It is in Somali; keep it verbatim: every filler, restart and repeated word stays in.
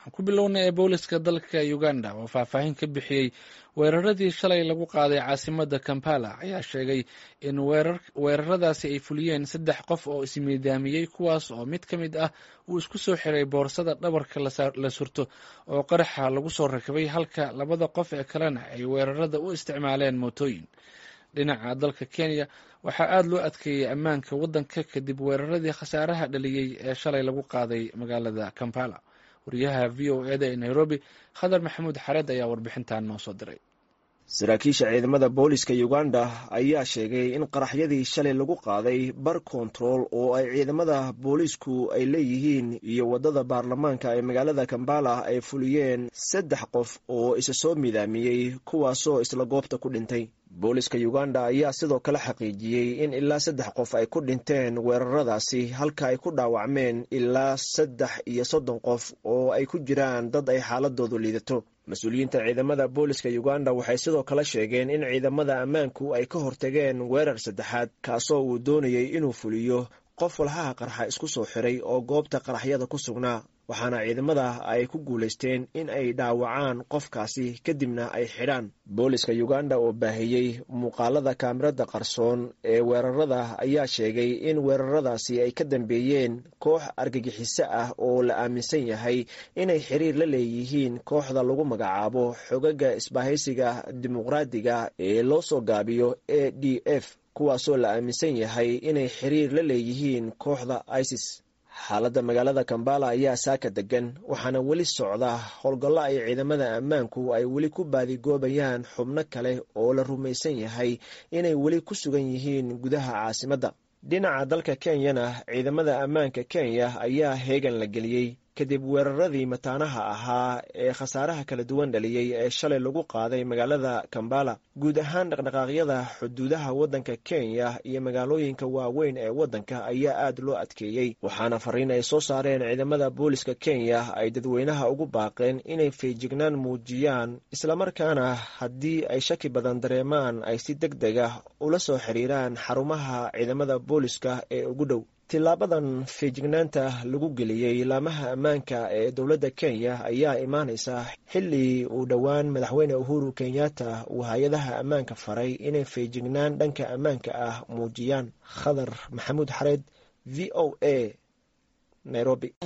Aan ku bilownay ee booliska dalka Uganda oo faahfaahin ka bixiyey weeraradii shalay lagu qaaday caasimadda Kampala ayaa sheegay in weeraradaasi ay fuliyeen saddex qof oo ismiidaamiyey, kuwaas oo mid ka mid ah uu isku soo xiray boorsada dhabarka la surto oo qaraxa lagu soo rakibay, halka labada qof ee kalena ay weerarada u isticmaaleen mootooyin. Dhinaca dalka Kenya waxaa aada loo adkeeyey ammaanka waddanka kadib weeraradii khasaaraha dhaliyey ee shalay lagu qaaday magaalada Kampala. Wariyaha V O eda ee Nairobi, Khadar Maxamuud Xareed, ayaa warbixintan noo soo diray. Saraakiisha ciidamada booliska Uganda ayaa sheegay in qaraxyadii shalay lagu qaaday bar kontarool oo ay ciidamada booliisku ay leeyihiin iyo waddada baarlamaanka ee magaalada Kampala ay fuliyeen saddex qof oo isa soo midaamiyey, kuwaasoo isla goobta ku dhintay. Booliska Uganda ayaa sidoo kale xaqiijiyey in ilaa saddex qof ay ku dhinteen weeraradaasi, halka ay ku dhaawacmeen ilaa saddex iyo soddon qof oo ay ku jiraan dad ay xaaladoodu liidato. Mas-uuliyiinta ciidamada booliska Uganda waxay sidoo kale sheegeen in ciidamada ammaanku ay ka hortageen weerar saddexaad, kaasoo uu doonayey inuu fuliyo qof walxaha qarxa isku soo xiray oo goobta qaraxyada ku sugnaa, waxaana ciidamada ay ku guulaysteen in ay dhaawacaan qofkaasi kadibna ay xidhaan. Booliska Uganda oo baahiyey muuqaalada kaamirada qarsoon ee weerarada ayaa sheegay in weeraradaasi ay ka dambeeyeen koox argagixiso ah oo la aaminsan yahay inay xiriir la leeyihiin kooxda lagu magacaabo Xogaga Isbahaysiga Dimuqraadiga ee loo soo gaabiyo A D F, kuwaasoo la aaminsan yahay inay xiriir la leeyihiin kooxda ISIS. Xaaladda magaalada Kampala ayaa saaka degan, waxaana weli socda howlgallo ay ciidamada ammaanku ay weli ku baadigoobayaan xubno kale oo la rumaysan yahay inay weli ku sugan yihiin gudaha caasimadda. Dhinaca dalka Kenyana, ciidamada ammaanka Kenya ayaa heegan la geliyey kadib weeraradii mataanaha ahaa ee khasaaraha kala duwan dhaliyey ee shalay lagu qaaday magaalada Kampala. Guud ahaan dhaqdhaqaaqyada xuduudaha waddanka Kenya iyo magaalooyinka waaweyn ee waddanka ayaa aad loo adkeeyey, waxaana fariin ay soo saareen ciidamada booliska Kenya ay dadweynaha ugu baaqeen inay feejignaan muujiyaan, islamarkaana haddii ay shaki badan dareemaan ay si deg deg ah ula soo xiriiraan xarumaha ciidamada booliska ee ugu dhow. Tilaabadan feejignaanta lagu geliyey laamaha ammaanka ee dowladda Kenya ayaa imaanaysa xilli uu dhowaan Madaxweyne Uhuru Kenyatta uu hay-adaha ammaanka faray inay feejignaan dhanka ammaanka ah muujiyaan. Khadar Maxamuud Xareed, V O A, Nairobi.